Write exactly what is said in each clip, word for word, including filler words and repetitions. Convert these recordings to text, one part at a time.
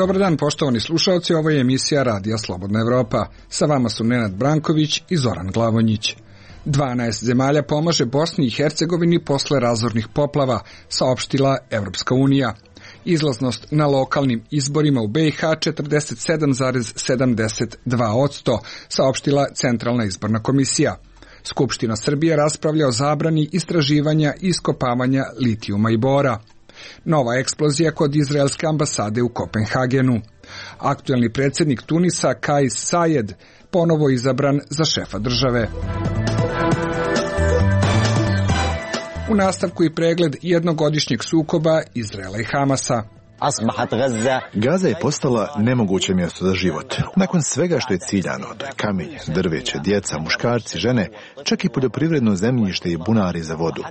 Dobar dan, poštovani slušalci, ovo je emisija Radija Slobodna Evropa. Sa vama su Nenad Branković i Zoran Glavonjić. dvanaest zemalja pomaže Bosni i Hercegovini posle razornih poplava, saopštila Evropska unija. Izlaznost na lokalnim izborima u be i ha četrdeset sedam zarez sedamdeset dva posto, saopštila Centralna izborna komisija. Skupština Srbije raspravlja o zabrani istraživanja i iskopavanja litijuma i bora. Nova eksplozija kod izraelske ambasade u Kopenhagenu. Aktuelni predsjednik Tunisa Kais Sajed ponovo izabran za šefa države. U nastavku i pregled jednogodišnjeg sukoba Izraela i Hamasa. Gaza je postala nemoguće mjesto za život. Nakon svega što je ciljano, to je kamenje, drveće, djeca, muškarci, žene, čak i poljoprivredno zemljište i bunari za vodu.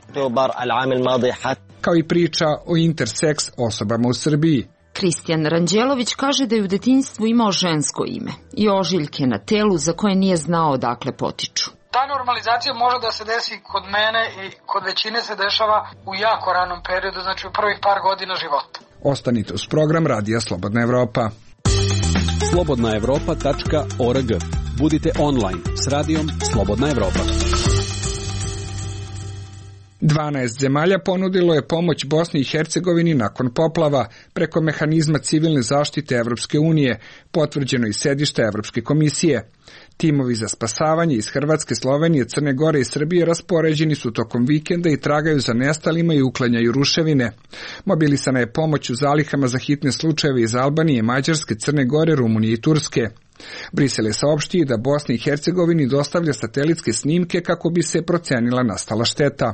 Kao i priča o interseks osobama u Srbiji. Kristijan Ranđelović kaže da je u detinjstvu imao žensko ime i ožiljke na telu za koje nije znao odakle potiču. Ta normalizacija može da se desi kod mene i kod većine se dešava u jako ranom periodu, znači u prvih par godina života. Ostanite uz program Radija Slobodna Evropa. slobodna evropa tačka org. Budite online s radijom Slobodna Evropa. dvanaest zemalja ponudilo je pomoć Bosni i Hercegovini nakon poplava preko mehanizma civilne zaštite Evropske unije, potvrđeno iz sedišta Evropske komisije. Timovi za spasavanje iz Hrvatske, Slovenije, Crne Gore i Srbije raspoređeni su tokom vikenda i tragaju za nestalima i uklanjaju ruševine. Mobilisana je pomoć u zalihama za hitne slučajeve iz Albanije, Mađarske, Crne Gore, Rumunije i Turske. Brisel je saopštio da Bosni i Hercegovini dostavlja satelitske snimke kako bi se procenila nastala šteta.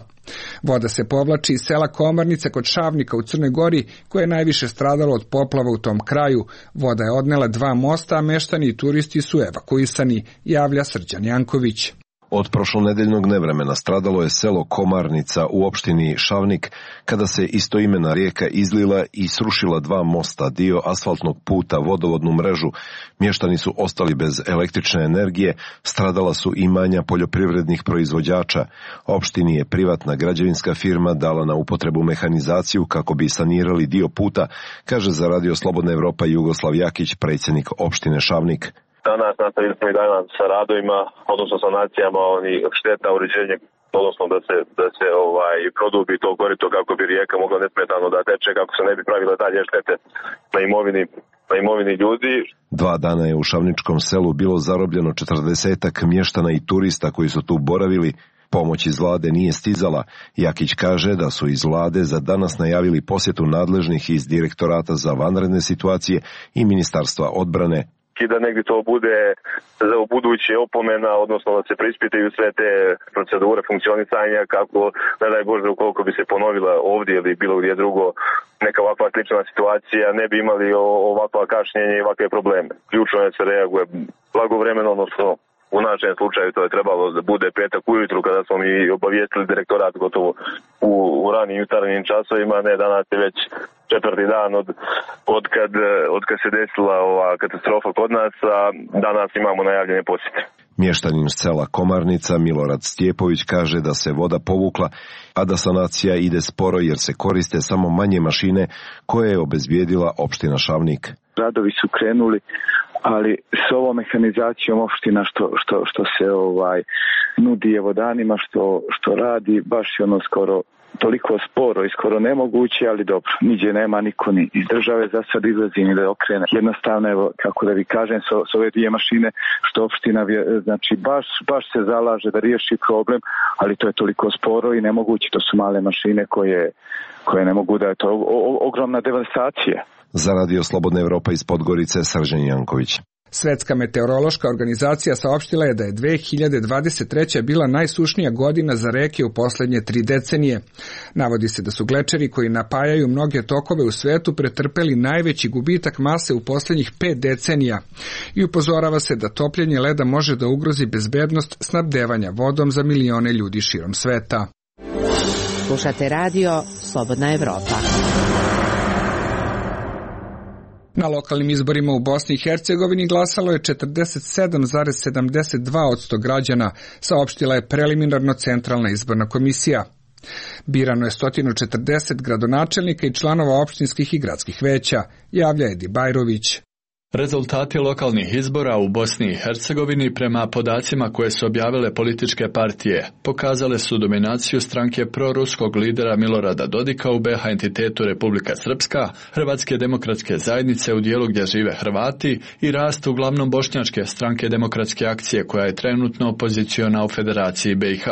Voda se povlači iz sela Komarnica kod Šavnika u Crnoj Gori, koje je najviše stradalo od poplava u tom kraju. Voda je odnela dva mosta, a meštani i turisti su evakuisani, javlja Srđan Janković. Od prošlonedeljnog nevremena stradalo je selo Komarnica u opštini Šavnik, kada se istoimena rijeka izlila i srušila dva mosta, dio asfaltnog puta, vodovodnu mrežu. Mještani su ostali bez električne energije, stradala su imanja poljoprivrednih proizvođača. Opštini je privatna građevinska firma dala na upotrebu mehanizaciju kako bi sanirali dio puta, kaže za Radio Slobodna Evropa Jugoslav Jakić, predsjednik opštine Šavnik. Danas nastavili smo i danas sa radovima, odnosno sanacijama onih šteta, uređenje, odnosno da se, da se ovaj, produbi to korito kako bi rijeka mogla nesmetano da teče, kako se ne bi pravile dalje štete na imovini, na imovini ljudi. Dva dana je u Šavničkom selu bilo zarobljeno četrdesetak mještana i turista koji su tu boravili. Pomoć iz vlade nije stizala. Jakić kaže da su iz vlade za danas najavili posjetu nadležnih iz Direktorata za vanredne situacije i Ministarstva odbrane. I da negdje to bude za buduće opomena, odnosno da se preispitaju sve te procedure funkcionisanja kako, ne daj Bože, ukoliko bi se ponovila ovdje ili bilo gdje drugo neka ovakva slična situacija, ne bi imali ovakva kašnjenja i ovakve probleme. Ključno je da se reaguje blagovremeno, odnosno u našem slučaju to je trebalo da bude petak ujutru kada smo mi obavijestili direktorat gotovo u, u ranim jutarnjim časovima, ne danas je već četvrti dan od, od, kad, od kad se desila ova katastrofa kod nas, a danas imamo najavljene posjete. Mještanin sela Komarnica Milorad Stjepović kaže da se voda povukla, a da sanacija ide sporo jer se koriste samo manje mašine koje je obezbijedila opština Šavnik. Radovi su krenuli, ali s ovom mehanizacijom opština što, što, što se ovaj nudi evo danima, što, što radi, baš je ono skoro toliko sporo i skoro nemoguće, ali dobro, niđe nema niko ni iz države za sad izlazi ni da okrene. Jednostavno, evo, kako da vi kažem, s, s ove dvije mašine što opština, znači, baš, baš se zalaže da riješi problem, ali to je toliko sporo i nemoguće, to su male mašine koje, koje ne mogu da je to o, o, ogromna devastacija. Za Radio Slobodna Evropa iz Podgorice, Srđan Janković. Svetska meteorološka organizacija saopštila je da je dve hiljade dvadeset treća bila najsušnija godina za reke u posljednje tri decenije. Navodi se da su glečeri koji napajaju mnoge tokove u svetu pretrpeli najveći gubitak mase u posljednjih pet decenija i upozorava se da topljenje leda može da ugrozi bezbednost snabdevanja vodom za milione ljudi širom sveta. Slušate radio Slobodna Evropa. Na lokalnim izborima u Bosni i Hercegovini glasalo je četrdeset sedam zarez sedamdeset dva posto građana, saopštila je preliminarno Centralna izborna komisija. Birano je sto četrdeset gradonačelnika i članova opštinskih i gradskih veća, javlja Edi Bajrović. Rezultati lokalnih izbora u Bosni i Hercegovini prema podacima koje su objavile političke partije pokazale su dominaciju stranke proruskog lidera Milorada Dodika u B iH entitetu Republika Srpska, Hrvatske demokratske zajednice u dijelu gdje žive Hrvati i rast uglavnom bošnjačke stranke Demokratske akcije koja je trenutno opoziciona u Federaciji B iH.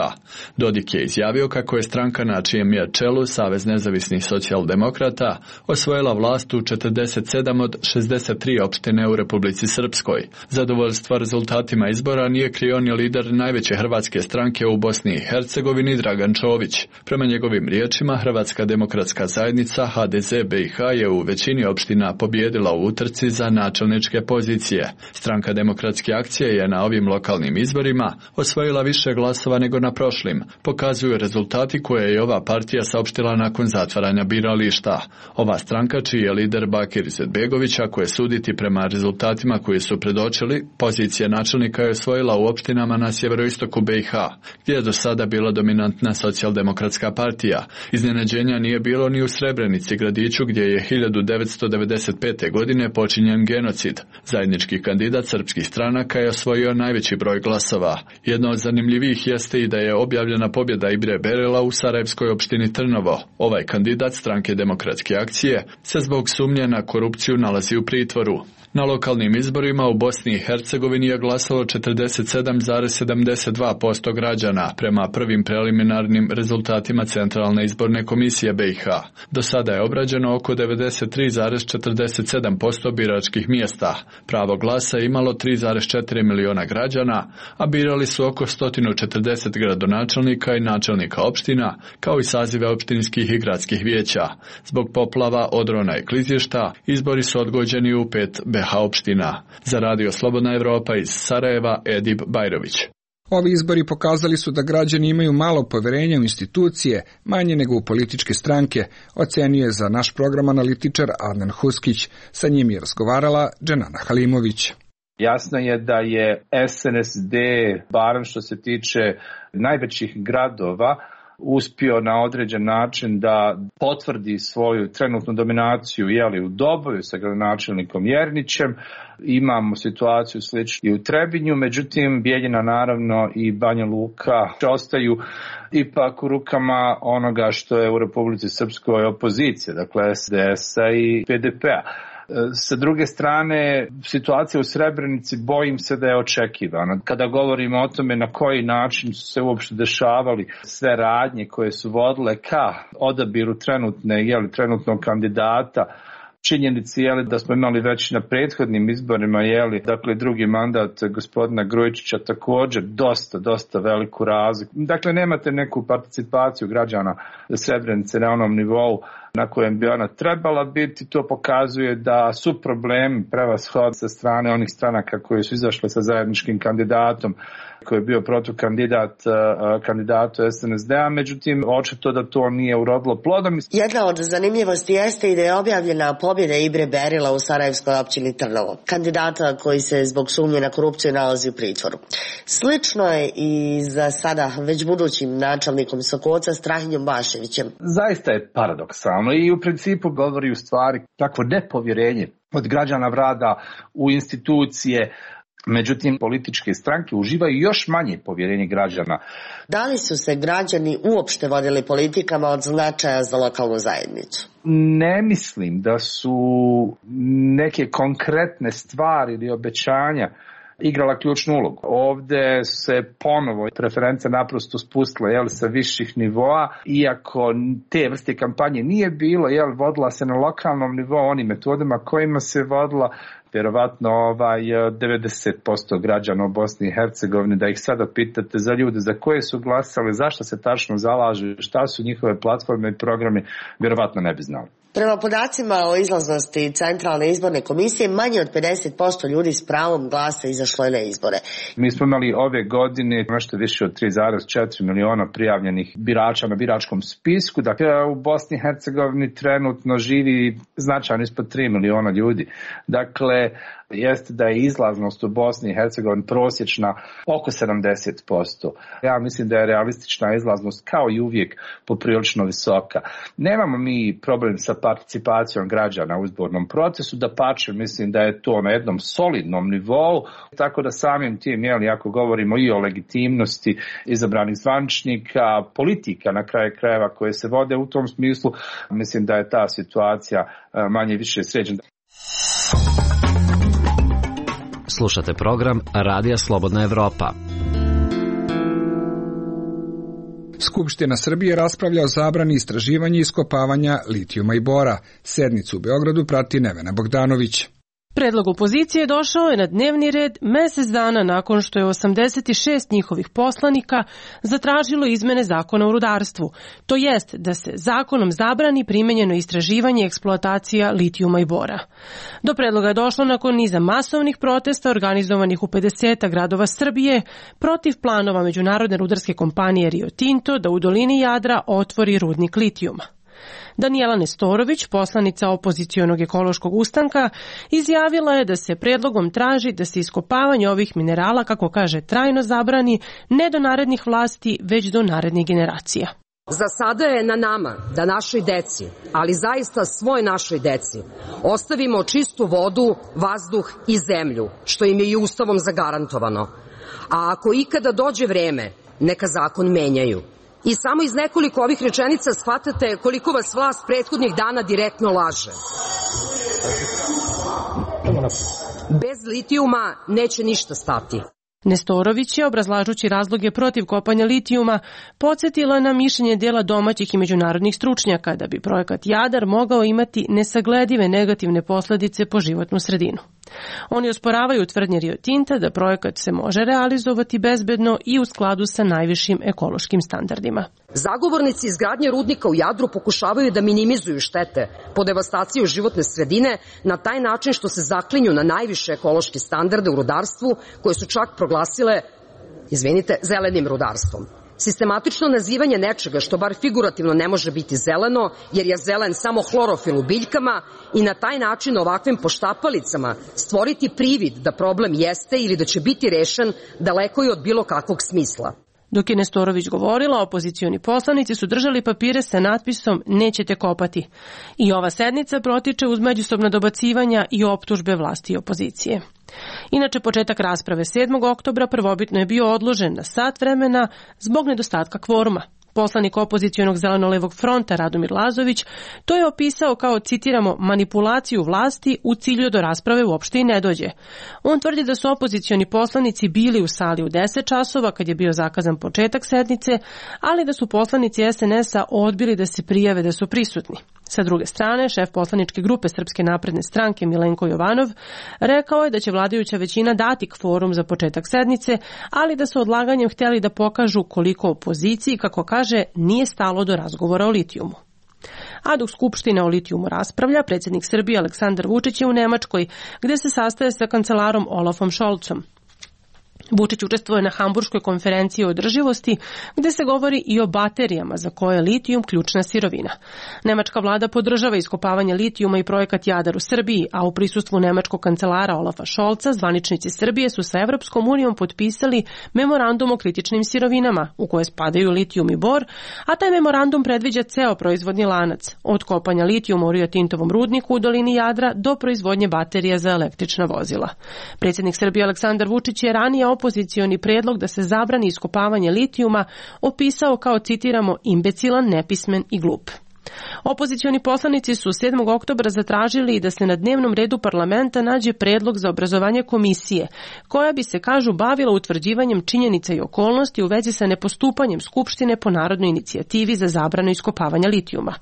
Dodik je izjavio kako je stranka na čijem je čelu Savez nezavisnih socijaldemokrata osvojila vlast u četrdeset sedam od šezdeset tri opštine u Republici Srpskoj. Zadovoljstva rezultatima izbora nije krio ni lider najveće hrvatske stranke u Bosni i Hercegovini Dragan Čović. Prema njegovim riječima, Hrvatska demokratska zajednica H D Z B iH je u većini opština pobijedila u utrci za načelničke pozicije. Stranka Demokratske akcije je na ovim lokalnim izborima osvojila više glasova nego na prošlim. Pokazuju rezultati koje je ova partija saopštila nakon zatvaranja birališta. Ova stranka, čiji je lider Bakir Izetbegović, ako je suditi prema rezultatima koji su predočili, pozicija načelnika je osvojila u opštinama na sjeveroistoku B iH, gdje je do sada bila dominantna socijaldemokratska partija. Iznenađenja nije bilo ni u Srebrenici, gradiću gdje je hiljadu devetsto devedeset pete. godine počinjen genocid. Zajednički kandidat srpskih stranaka je osvojio najveći broj glasova. Jedno od zanimljivih jeste i da je objavljena pobjeda Ibre Berela u sarajevskoj opštini Trnovo. Ovaj kandidat stranke Demokratske akcije se zbog sumnje na korupciju nalazi u pritvoru. Na lokalnim izborima u Bosni i Hercegovini je glasalo četrdeset sedam zarez sedamdeset dva posto građana prema prvim preliminarnim rezultatima Centralne izborne komisije B iH. Do sada je obrađeno oko devedeset tri zarez četrdeset sedam posto biračkih mjesta. Pravo glasa je imalo tri zarez četiri miliona građana, a birali su oko sto četrdeset gradonačelnika i načelnika opština, kao i sazive opštinskih i gradskih vijeća. Zbog poplava, odrona i klizišta, izbori su odgođeni u pet B iH opština. Za Radio Slobodna Evropa iz Sarajeva, Edib Bajrović. Ovi izbori pokazali su da građani imaju malo poverenja u institucije, manje nego u političke stranke, ocenio je za naš program analitičar Adnan Huskić. Sa njim je razgovarala Dženana Halimović. Jasno je da je S N S D, barem što se tiče najvećih gradova, uspio na određen način da potvrdi svoju trenutnu dominaciju jeli, u Doboju sa gradonačelnikom Jernićem. Imamo situaciju sličnu i u Trebinju, međutim Bijeljina naravno i Banja Luka ostaju ipak u rukama onoga što je u Republici Srpskoj opozicija, dakle S D S-a i P D P-a. Sa druge strane, situacija u Srebrenici bojim se da je očekivana. Kada govorimo o tome na koji način su se uopšte dešavali sve radnje koje su vodile ka odabiru trenutne, jeli, trenutnog kandidata, činjenici je da smo imali već na prethodnim izborima, jeli, dakle drugi mandat gospodina Grujičića također dosta, dosta veliku razliku. Dakle, nemate neku participaciju građana Srebrenice na onom nivou na kojem bi ona trebala biti. To pokazuje da su problemi prevashod sa strane onih stranaka koje su izašle sa zajedničkim kandidatom, koji je bio protukandidat kandidatu S N S D-a, međutim, očito da to nije urodilo plodom. Jedna od zanimljivosti jeste i da je objavljena pobjeda Ibre Berila u sarajevskoj općini Trnovo, kandidata koji se zbog sumnje na korupciju nalazi u pritvoru. Slično je i za sada već budućim načelnikom Sokoca Strahinjom Baševićem. Zaista je paradoksalno i u principu govori u stvari takvo nepovjerenje od građana vlada u institucije. Međutim, političke stranke uživaju još manje povjerenje građana. Da li su se građani uopšte vodili politikama od značaja za lokalnu zajednicu? Ne mislim da su neke konkretne stvari ili obećanja igrala ključnu ulogu. Ovde se ponovo preference naprosto spustile jel, sa viših nivoa, iako te vrste kampanje nije bilo, jel, vodila se na lokalnom nivou onim metodama kojima se vodila vjerovatno ovaj devedeset posto građana u Bosni i Hercegovini, da ih sada pitate za ljude za koje su glasali, zašto se tačno zalažu, šta su njihove platforme i programi, vjerovatno ne bi znali. Prema podacima o izlaznosti Centralne izborne komisije, manje od pedeset posto ljudi s pravom glasa izašlo je na izbore. Mi smo imali ove godine nešto više od tri zarez četiri miliona prijavljenih birača na biračkom spisku. Dakle, u Bosni i Hercegovini trenutno živi značajno ispod tri miliona ljudi. Dakle, jeste da je izlaznost u Bosni i Hercegovini prosječna oko sedamdeset posto. Ja mislim da je realistična izlaznost kao i uvijek poprilično visoka. Nemamo mi problem sa participacijom građana u izbornom procesu, da pače, mislim da je to na jednom solidnom nivou, tako da samim tim, jeli, ako govorimo i o legitimnosti izabranih zvaničnika, politika na kraju krajeva koje se vode u tom smislu, mislim da je ta situacija manje više sređena. Slušate program Radija Slobodna Evropa. Skupština Srbije raspravlja o zabrani istraživanja i iskopavanja litijuma i bora. Sednicu u Beogradu prati Nevena Bogdanović. Predlog opozicije došao je na dnevni red mesec dana nakon što je osamdeset šest njihovih poslanika zatražilo izmene zakona o rudarstvu, to jest da se zakonom zabrani primenjeno istraživanje i eksploatacija litijuma i bora. Do predloga je došlo nakon niza masovnih protesta organizovanih u pedeset gradova Srbije protiv planova međunarodne rudarske kompanije Rio Tinto da u dolini Jadra otvori rudnik litijuma. Danijela Nestorović, poslanica opozicionog ekološkog ustanka, izjavila je da se predlogom traži da se iskopavanje ovih minerala, kako kaže, trajno zabrani ne do narednih vlasti, već do narednih generacija. Za sada je na nama da našoj deci, ali zaista svoj našoj deci, ostavimo čistu vodu, vazduh i zemlju, što im je i Ustavom zagarantovano. A ako ikada dođe vreme, neka zakon menjaju. I samo iz nekoliko ovih rečenica shvatate koliko vas vlast prethodnih dana direktno laže. Bez litijuma neće ništa stati. Nestorović je, obrazlažući razloge protiv kopanja litijuma, podsjetila na mišljenje dela domaćih i međunarodnih stručnjaka da bi projekat Jadar mogao imati nesagledive negativne posledice po životnu sredinu. Oni osporavaju tvrdnje Rio Tinta da projekat se može realizovati bezbedno i u skladu sa najvišim ekološkim standardima. Zagovornici izgradnje rudnika u Jadru pokušavaju da minimizuju štete po devastaciju životne sredine na taj način što se zaklinju na najviše ekološke standarde u rudarstvu koje su čak proglasile, izvinite, zelenim rudarstvom. Sistematično nazivanje nečega što bar figurativno ne može biti zeleno, jer je zelen samo hlorofil u biljkama, i na taj način ovakvim poštapalicama stvoriti privid da problem jeste ili da će biti rešen daleko je od bilo kakvog smisla. Dok je Nestorović govorila, opozicioni poslanici su držali papire sa natpisom "Nećete kopati". I ova sednica protiče uz međusobna dobacivanja i optužbe vlasti i opozicije. Inače, početak rasprave sedmog oktobra prvobitno je bio odložen na sat vremena zbog nedostatka kvoruma. Poslanik opozicionog zeleno-levog fronta Radomir Lazović to je opisao kao, citiramo, manipulaciju vlasti u cilju do rasprave uopšte i ne dođe. On tvrdi da su opozicioni poslanici bili u sali u deset časova kad je bio zakazan početak sednice, ali da su poslanici es en es a odbili da se prijave da su prisutni. Sa druge strane, šef poslaničke grupe Srpske napredne stranke Milenko Jovanov rekao je da će vladajuća većina dati kvorum za početak sednice, ali da su odlaganjem htjeli da pokažu koliko opoziciji, kako kaže, nije stalo do razgovora o litijumu. A dok Skupština o litijumu raspravlja, predsjednik Srbije Aleksandar Vučić je u Nemačkoj, gde se sastaje sa kancelarom Olafom Scholzom. Vučić učestvuje na Hamburškoj konferenciji o održivosti, gde se govori i o baterijama za koje je litijum ključna sirovina. Nemačka vlada podržava iskopavanje litijuma i projekat Jadar u Srbiji, a u prisustvu nemačkog kancelara Olafa Scholza zvaničnici Srbije su sa Evropskom unijom potpisali memorandum o kritičnim sirovinama, u koje spadaju litijum i bor, a taj memorandum predviđa ceo proizvodni lanac, od kopanja litijuma u Rio Tintovom rudniku u dolini Jadra do proizvodnje baterija za električna vozila. Predsjednik Srbije Aleksandar Vučić je ranije opozicioni predlog da se zabrani iskopavanje litijuma opisao kao, citiramo, imbecilan, nepismen i glup. Opozicioni poslanici su sedmog oktobra zatražili da se na dnevnom redu parlamenta nađe predlog za obrazovanje komisije, koja bi se, kažu, bavila utvrđivanjem činjenica i okolnosti u vezi sa nepostupanjem Skupštine po narodnoj inicijativi za zabranu iskopavanja litijuma.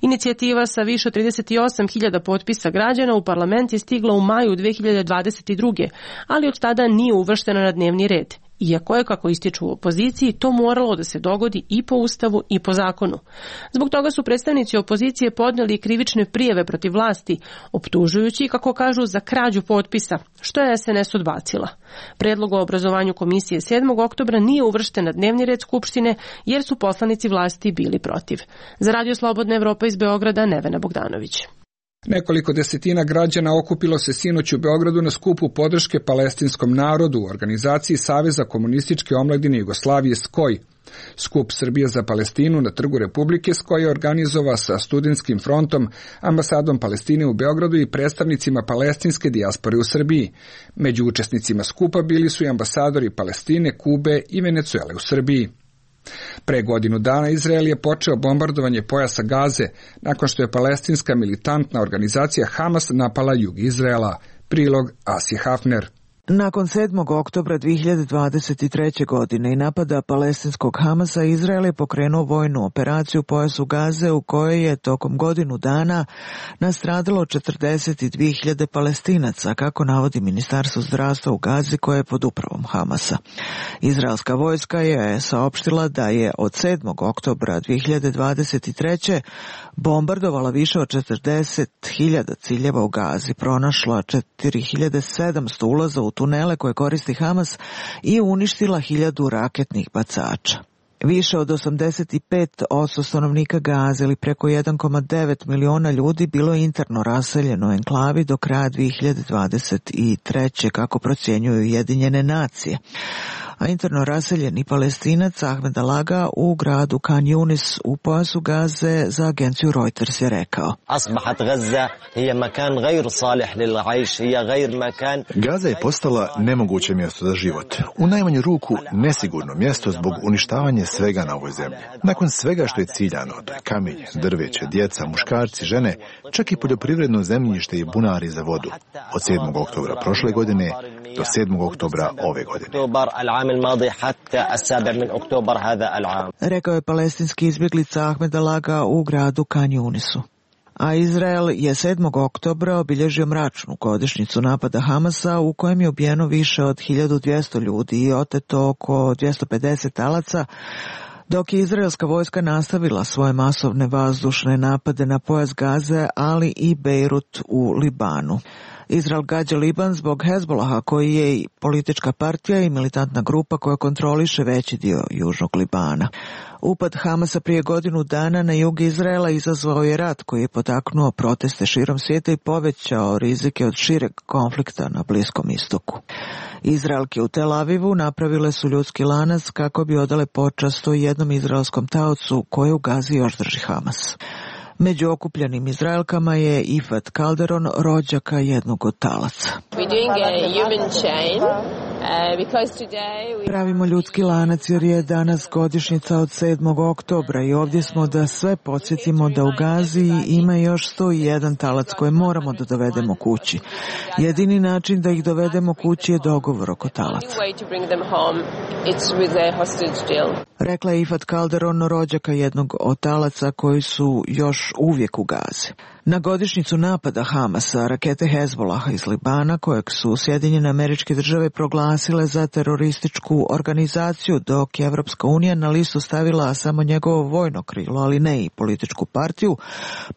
Inicijativa sa više od trideset osam hiljada potpisa građana u parlament je stigla u maju dve hiljade dvadeset druge. ali od tada nije uvrštena na dnevni red. Iako je, kako ističu u opoziciji, to moralo da se dogodi i po Ustavu i po zakonu. Zbog toga su predstavnici opozicije podneli krivične prijave protiv vlasti, optužujući, kako kažu, za krađu potpisa, što je es en es odbacila. Predlog o obrazovanju komisije sedmog oktobra nije uvršten na dnevni red Skupštine, jer su poslanici vlasti bili protiv. Za Radio Slobodna Evropa iz Beograda, Nevena Bogdanović. Nekoliko desetina građana okupilo se sinoć u Beogradu na skupu podrške palestinskom narodu u organizaciji Saveza komunističke omladine Jugoslavije S K O J. Skup Srbije za Palestinu na Trgu Republike S K O J je organizovao sa Studentskim frontom, ambasadom Palestine u Beogradu i predstavnicima palestinske dijaspore u Srbiji. Među učesnicima skupa bili su i ambasadori Palestine, Kube i Venecuele u Srbiji. Pre godinu dana Izrael je počeo bombardovanje pojasa Gaze nakon što je palestinska militantna organizacija Hamas napala jug Izraela. Prilog Asije Hafner. Nakon sedmog oktobra dve hiljade dvadeset treće. godine i napada palestinskog Hamasa, Izrael je pokrenuo vojnu operaciju u pojasu Gaze u kojoj je tokom godinu dana nastradalo četrdeset dvije hiljade Palestinaca, kako navodi Ministarstvo zdravstva u Gazi koje je pod upravom Hamasa. Izraelska vojska je saopštila da je od sedmog oktobra dve hiljade dvadeset treće. bombardovala više od četrdeset hiljada ciljeva u Gazi, pronašla četiri hiljade sedamsto ulaza u tunele koje koristi Hamas i uništila hiljadu raketnih bacača. Više od osamdeset pet posto stanovnika Gaze ili preko jedan zarez devet miliona ljudi bilo je interno raseljeno u enklavi do kraja dve hiljade dvadeset treće. kako procjenjuju Ujedinjene nacije. A interno raseljeni Palestinac Ahmed Alaga u gradu Khan Yunis u pojasu Gaze za agenciju Reuters je rekao: Gaza je postala nemoguće mjesto za život. U najmanju ruku nesigurno mjesto zbog uništavanja svega na ovoj zemlji. Nakon svega što je ciljano, to je kamenje, drveće, djeca, muškarci, žene, čak i poljoprivredno zemljište i bunari za vodu. Od sedmog oktobra prošle godine do sedmog oktobra ove godine. Rekao je palestinski izbjeglica Ahmed Alaga u gradu Khan Yunisu. A Izrael je sedmog oktobra obilježio mračnu godišnjicu napada Hamasa u kojem je ubijeno više od hiljadu dvjesto ljudi i oteto oko dvjesto pedeset talaca, dok je izraelska vojska nastavila svoje masovne vazdušne napade na pojas Gaze, ali i Bejrut u Libanu. Izrael gađa Liban zbog Hezbolaha, koji je i politička partija i militantna grupa koja kontroliše veći dio južnog Libana. Upad Hamasa prije godinu dana na jug Izraela izazvao je rat koji je potaknuo proteste širom svijeta i povećao rizike od šireg konflikta na Bliskom istoku. Izraelke u Tel Avivu napravile su ljudski lanac kako bi odale počast o jednom izraelskom taocu koje u Gazi još drži Hamas. Među okupljenim Izraelkama je Ifat Calderon, rođaka jednog od talaca. Pravimo ljudski lanac jer je danas godišnjica od sedmog oktobra i ovdje smo da sve podsjetimo da u Gazi ima još sto jedan talac koje moramo da dovedemo kući. Jedini način da ih dovedemo kući je dogovor oko talaca. Rekla je Ifat Calderon, rođaka jednog od talaca koji su još uvijek u Gazi. Na godišnjicu napada Hamasa, rakete Hezbolaha iz Libana, kojeg su Sjedinjene Američke Države proglasile za terorističku organizaciju, dok je Evropska unija na listu stavila samo njegovo vojno krilo, ali ne i političku partiju,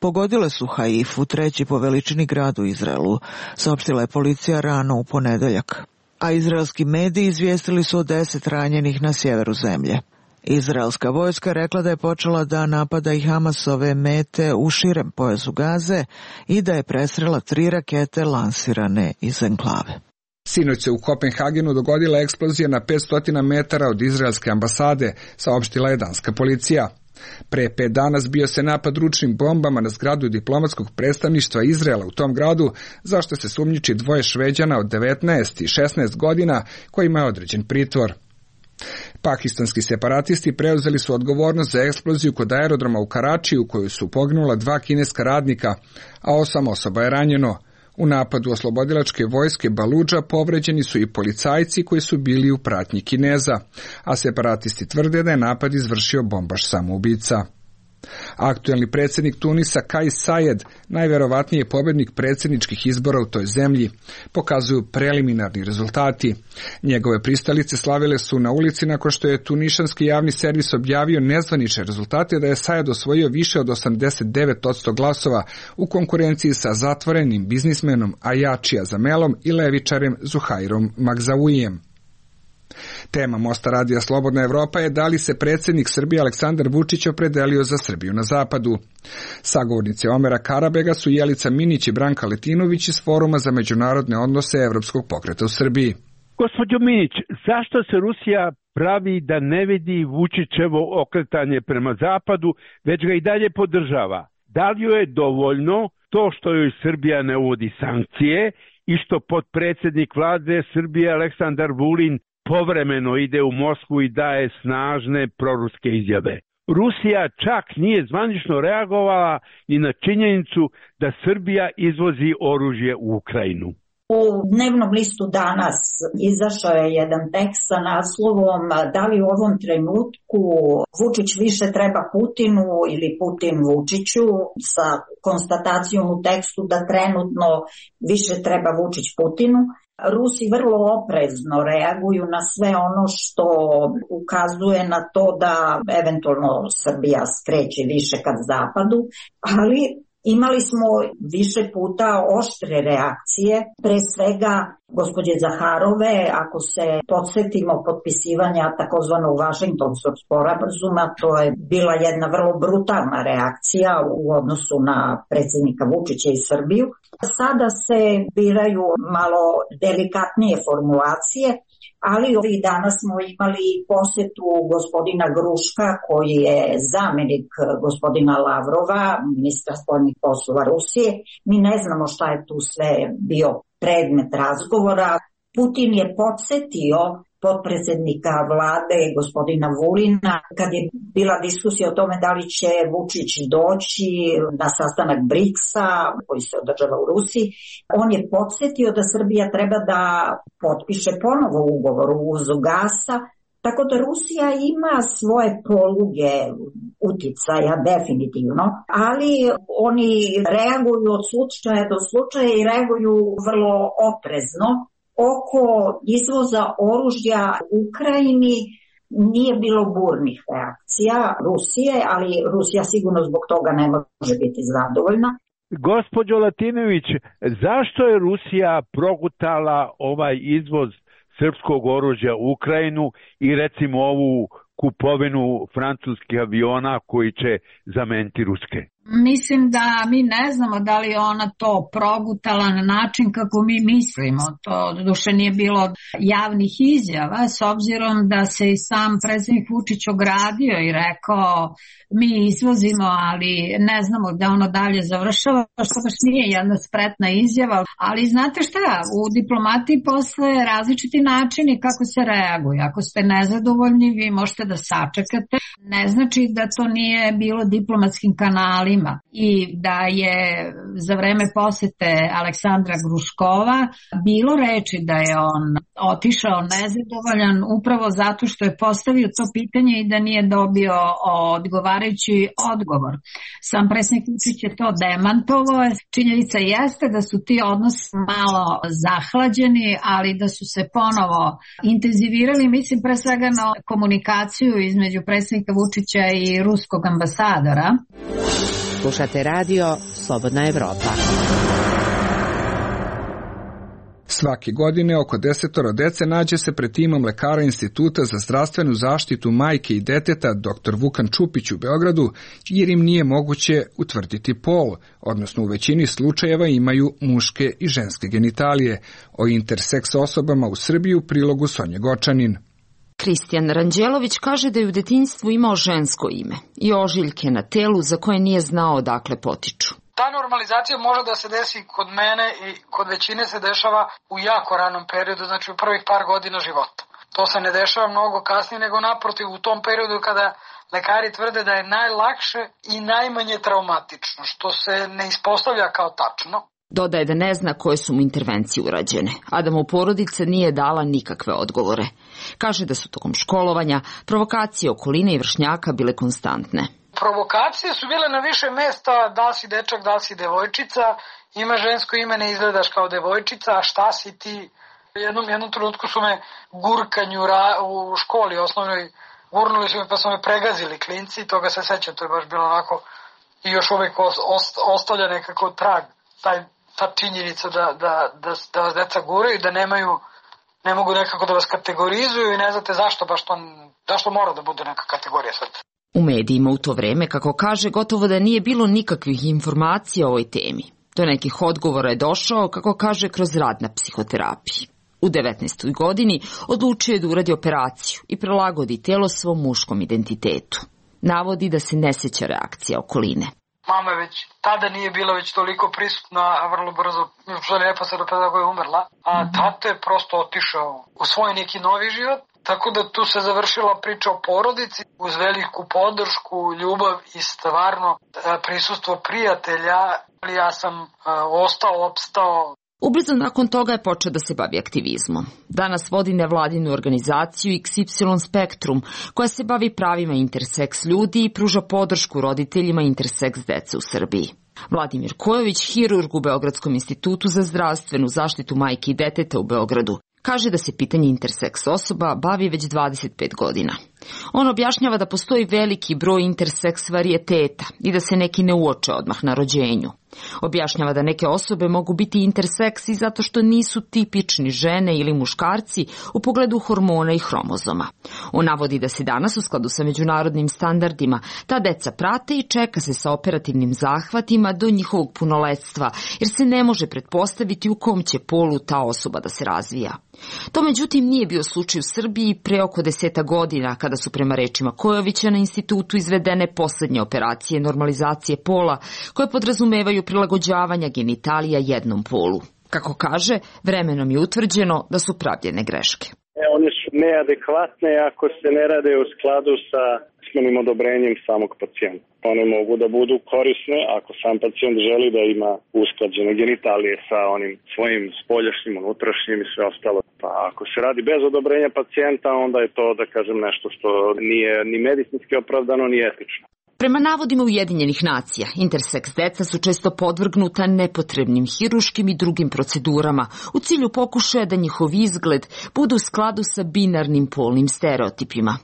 pogodile su Haifu, treći po veličini grad u Izraelu, saopštila je policija rano u ponedeljak. A izraelski mediji izvijestili su o deset ranjenih na sjeveru zemlje. Izraelska vojska rekla da je počela da napada i Hamasove mete u širem pojasu Gaze i da je presrela tri rakete lansirane iz enklave. Sinoć se u Kopenhagenu dogodila eksplozija na petsto metara od izraelske ambasade, saopštila je danska policija. Pre pet dana zbio se napad ručnim bombama na zgradu diplomatskog predstavništva Izraela u tom gradu, zašto se sumnjiči dvoje Šveđana od devetnaest i šesnaest godina kojima je određen pritvor. Pakistanski separatisti preuzeli su odgovornost za eksploziju kod aerodroma u Karačiju, u kojoj su poginula dva kineska radnika, a osam osoba je ranjeno. U napadu oslobodilačke vojske Baludža povređeni su i policajci koji su bili u pratnji Kineza, a separatisti tvrde da je napad izvršio bombaš samoubica. Aktuelni predsjednik Tunisa Kais Saied, najverovatniji je pobjednik predsjedničkih izbora u toj zemlji, pokazuju preliminarni rezultati. Njegove pristalice slavile su na ulici nakon što je tunišanski javni servis objavio nezvanične rezultate da je Saied osvojio više od osamdeset devet posto glasova u konkurenciji sa zatvorenim biznismenom Ajačija Zamelom i levičarem Zuhairom Magzauijem. Tema Mosta radija Slobodna Evropa je da li se predsjednik Srbije Aleksandar Vučić opredelio za Srbiju na zapadu. Sagovornici Omera Karabega su Jelica Minić i Branka Letinović iz Foruma za međunarodne odnose Evropskog pokreta u Srbiji. Gospođo Minić, zašto se Rusija pravi da ne vidi Vučićevo okretanje prema zapadu, već ga i dalje podržava? Da li joj je dovoljno to što joj Srbija ne uvodi sankcije i što potpredsjednik vlade Srbije Aleksandar Vulin povremeno ide u Moskvu i daje snažne proruske izjave? Rusija čak nije zvanično reagovala ni na činjenicu da Srbija izvozi oružje u Ukrajinu. U dnevnom listu danas izašao je jedan tekst sa naslovom da li u ovom trenutku Vučić više treba Putinu ili Putin Vučiću, sa konstatacijom u tekstu da trenutno više treba Vučić Putinu. Rusi vrlo oprezno reaguju na sve ono što ukazuje na to da eventualno Srbija skreće više ka zapadu, ali imali smo više puta oštre reakcije, pre svega gospođe Zaharove, ako se podsjetimo potpisivanja takozvanog Vašingtonskog sporazuma, to je bila jedna vrlo brutalna reakcija u odnosu na predsjednika Vučića i Srbiju. Sada se biraju malo delikatnije formulacije, ali ovih dana smo imali posjetu gospodina Gruška, koji je zamjenik gospodina Lavrova, ministra spoljnih poslova Rusije. Mi ne znamo šta je tu sve bio predmet razgovora. Putin je podsjetio potpredsjednika vlade gospodina Vulina kad je bila diskusija o tome da li će Vučić doći na sastanak briksa koji se održava u Rusiji. On je podsjetio da Srbija treba da potpiše ponovo ugovor o uvozu gasa, tako da Rusija ima svoje poluge uticaja definitivno, ali oni reaguju od slučaja do slučaja i reaguju vrlo oprezno. Oko izvoza oružja Ukrajini nije bilo burnih reakcija Rusije, ali Rusija sigurno zbog toga ne može biti zadovoljna. Gospođo Latinović, zašto je Rusija progutala ovaj izvoz srpskog oružja u Ukrajinu i recimo ovu kupovinu francuskih aviona koji će zameniti ruske? Mislim da mi ne znamo da li je ona to progutala na način kako mi mislimo. To doduše nije bilo javnih izjava, s obzirom da se i sam predsjednik Vučić ogradio i rekao mi izvozimo, ali ne znamo da ono dalje završava, što baš nije jedna spretna izjava. Ali znate šta, u diplomatiji postoje različiti načini kako se reaguje. Ako ste nezadovoljni, vi možete da sačekate. Ne znači da to nije bilo diplomatskim kanalima i da je za vreme posete Aleksandra Gruškova bilo reči da je on otišao nezadovoljan upravo zato što je postavio to pitanje i da nije dobio odgovarajući odgovor. Sam predsjednik Vučić je to demantovao. Činjenica jeste da su ti odnosi malo zahlađeni, ali da su se ponovo intenzivirali, mislim pre svega na komunikaciju između predsjednika Vučića i ruskog ambasadora. Slušate radio Slobodna Evropa. Svake godine oko desetoro dece nađe se pred timom lekara Instituta za zdravstvenu zaštitu majke i deteta doktor Vukan Čupić u Beogradu, jer im nije moguće utvrditi pol, odnosno u većini slučajeva imaju muške i ženske genitalije. O interseks osobama u Srbiji u prilogu Sonje Gočanin. Kristijan Ranđelović kaže da je u detinjstvu imao žensko ime i ožiljke na telu za koje nije znao odakle potiču. Ta normalizacija može da se desi kod mene i kod većine se dešava u jako ranom periodu, znači u prvih par godina života. To se ne dešava mnogo kasnije, nego naprotiv u tom periodu kada lekari tvrde da je najlakše i najmanje traumatično, što se ne ispostavlja kao tačno. Dodaje da ne zna koje su mu intervencije urađene, a da mu porodica nije dala nikakve odgovore. Kaže da su tokom školovanja provokacije okoline i vršnjaka bile konstantne. Provokacije su bile na više mesta, da li si dečak, da li si devojčica, ima žensko ime, ne izgledaš kao devojčica, a šta si ti? Jednom, jednom trenutku su me gurkanju u školi osnovnoj, gurnuli su me pa su me pregazili klinci, toga se sećam, to je baš bilo onako i još uvijek ostavlja nekako trag, taj ta činjenica da, da, da, da vas deca guraju, da nemaju ne mogu nekako da vas kategorizuju i ne znate zašto baš to, zašto mora da bude neka kategorija sad. U medijima u to vreme, kako kaže, gotovo da nije bilo nikakvih informacija o ovoj temi. Do nekih odgovora je došao, kako kaže, kroz rad na psihoterapiji. U devetnaestoj godini odlučio je da uradi operaciju i prilagodi telo svom muškom identitetu. Navodi da se ne seća reakcija okoline. Mama već tada nije bila već toliko prisutna, a vrlo brzo, što je neposredno pre toga je umrla, a tata je prosto otišao u svoj neki novi život, tako da tu se završila priča o porodici uz veliku podršku, ljubav i stvarno prisustvo prijatelja, ali ja sam ostao, opstao. Ubrzo nakon toga je počeo da se bavi aktivizmom. Danas vodi nevladinu organizaciju X Y Spektrum, koja se bavi pravima interseks ljudi i pruža podršku roditeljima interseks dece u Srbiji. Vladimir Kojović, hirurg u Beogradskom institutu za zdravstvenu zaštitu majke i deteta u Beogradu, kaže da se pitanje interseks osoba bavi već dvadeset pet godina. On objašnjava da postoji veliki broj interseks varijeteta i da se neki ne uoče odmah na rođenju. Objašnjava da neke osobe mogu biti interseksi zato što nisu tipični žene ili muškarci u pogledu hormona i hromozoma. On navodi da se danas u skladu sa međunarodnim standardima ta deca prate i čeka se sa operativnim zahvatima do njihovog punoletstva, jer se ne može pretpostaviti u kom će polu ta osoba da se razvija. To međutim nije bio slučaj u Srbiji pre oko deseta godina, kada su prema rečima Kojovića na institutu izvedene poslednje operacije normalizacije pola, koje podrazumevaju prilagođavanja genitalija jednom polu. Kako kaže, vremenom je utvrđeno da su pravljene greške. E, one su neadekvatne ako se ne rade u skladu sa usmenim odobrenjem samog pacijenta. One mogu da budu korisne ako sam pacijent želi da ima usklađene genitalije sa onim svojim spoljašnjim, unutrašnjim i sve ostalo. Pa ako se radi bez odobrenja pacijenta, onda je to, da kažem, nešto što nije ni medicinski opravdano, ni etično. Prema navodima Ujedinjenih nacija, interseks deca su često podvrgnuta nepotrebnim hiruškim i drugim procedurama u cilju pokušaja da njihov izgled bude u skladu sa binarnim polnim stereotipima.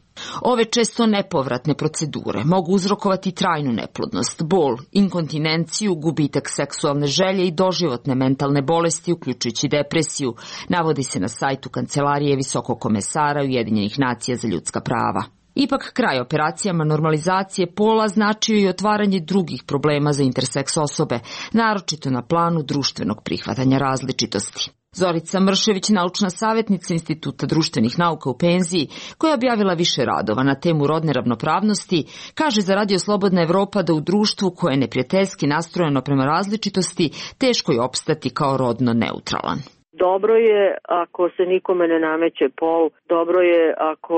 Ove često nepovratne procedure mogu uzrokovati trajnu neplodnost, bol, inkontinenciju, gubitak seksualne želje i doživotne mentalne bolesti, uključujući depresiju, navodi se na sajtu Kancelarije Visokog komesara Ujedinjenih nacija za ljudska prava. Ipak, kraj operacijama normalizacije pola značio i otvaranje drugih problema za interseks osobe, naročito na planu društvenog prihvatanja različitosti. Zorica Mršević, naučna savjetnica Instituta društvenih nauka u penziji, koja je objavila više radova na temu rodne ravnopravnosti, kaže za Radio Slobodna Evropa da u društvu koje je neprijateljski nastrojeno prema različitosti, teško je opstati kao rodno neutralan. Dobro je ako se nikome ne nameće pol, dobro je ako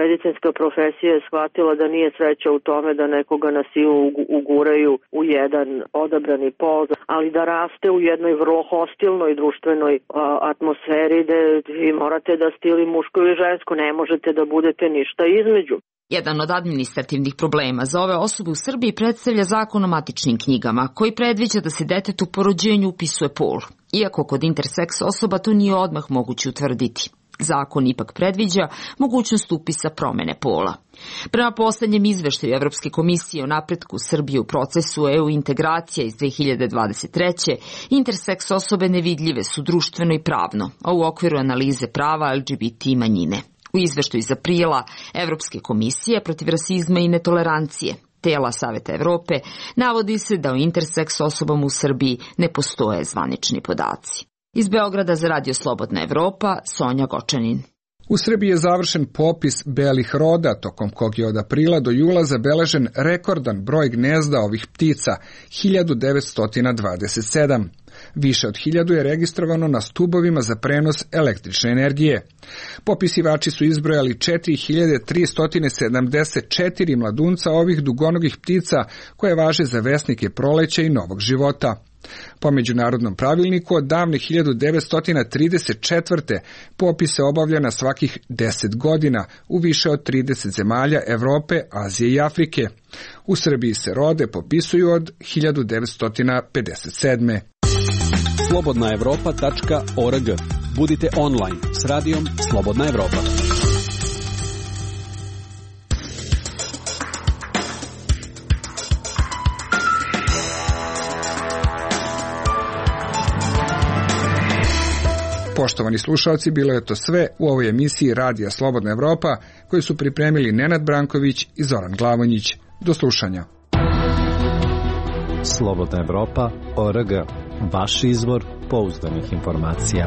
medicinska profesija je shvatila da nije sreća u tome da nekoga na silu uguraju u jedan odabrani pol, ali da raste u jednoj vrlo hostilnoj društvenoj atmosferi gde vi morate da ste ili muško ili žensko, ne možete da budete ništa između. Jedan od administrativnih problema za ove osobe u Srbiji predstavlja Zakon o matičnim knjigama, koji predviđa da se detetu po rođenju upisuje pol, iako kod interseks osoba to nije odmah moguće utvrditi. Zakon ipak predviđa mogućnost upisa promene pola. Prema poslednjem izveštaju Evropske komisije o napretku Srbije u procesu E U integracija iz dve hiljade dvadeset treće. interseks osobe nevidljive su društveno i pravno, a u okviru analize prava L G B T manjine. U izveštaju iz aprila Evropske komisije protiv rasizma i netolerancije, tela Saveta Evrope, navodi se da o interseks osobama u Srbiji ne postoje zvanični podaci. Iz Beograda za Radio Slobodna Evropa, Sonja Gočanin. U Srbiji je završen popis belih roda, tokom kog je od aprila do jula zabeležen rekordan broj gnezda ovih ptica, hiljadu devetsto dvadeset sedam. Više od hiljadu je registrovano na stubovima za prenos električne energije. Popisivači su izbrojali četiri hiljade tristo sedamdeset četiri mladunca ovih dugonogih ptica koje važe za vesnike proleća i novog života. Po međunarodnom pravilniku od davne hiljadu devetsto trideset četvrte. popis se obavlja na svakih deset godina u više od trideset zemalja Evrope, Azije i Afrike. U Srbiji se rode popisuju od hiljadu devetsto pedeset sedme. slobodna evropa tačka org. Budite online s radijom Slobodna Evropa. Poštovani slušalci, bilo je to sve u ovoj emisiji Radija Slobodna Evropa, koju su pripremili Nenad Branković i Zoran Glavonjić. Do slušanja. Slobodna Evropa, O R G. Vaš izvor pouzdanih informacija.